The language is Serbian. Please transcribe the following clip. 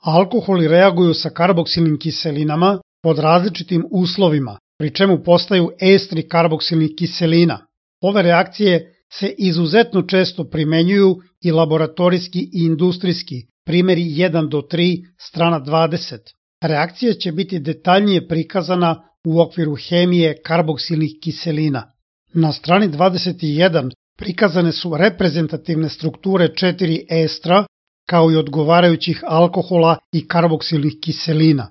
Alkoholi reaguju sa karboksilnim kiselinama pod različitim uslovima, pri čemu postaju estri karboksilnih kiselina. Ove reakcije se izuzetno često primenjuju i laboratorijski i industrijski, primjeri 1 do 3, strana 20. Reakcija će biti detaljnije prikazana u okviru hemije karboksilnih kiselina. Na strani 21 prikazane su reprezentativne strukture 4 estra, kao i odgovarajućih alkohola i karboksilnih kiselina.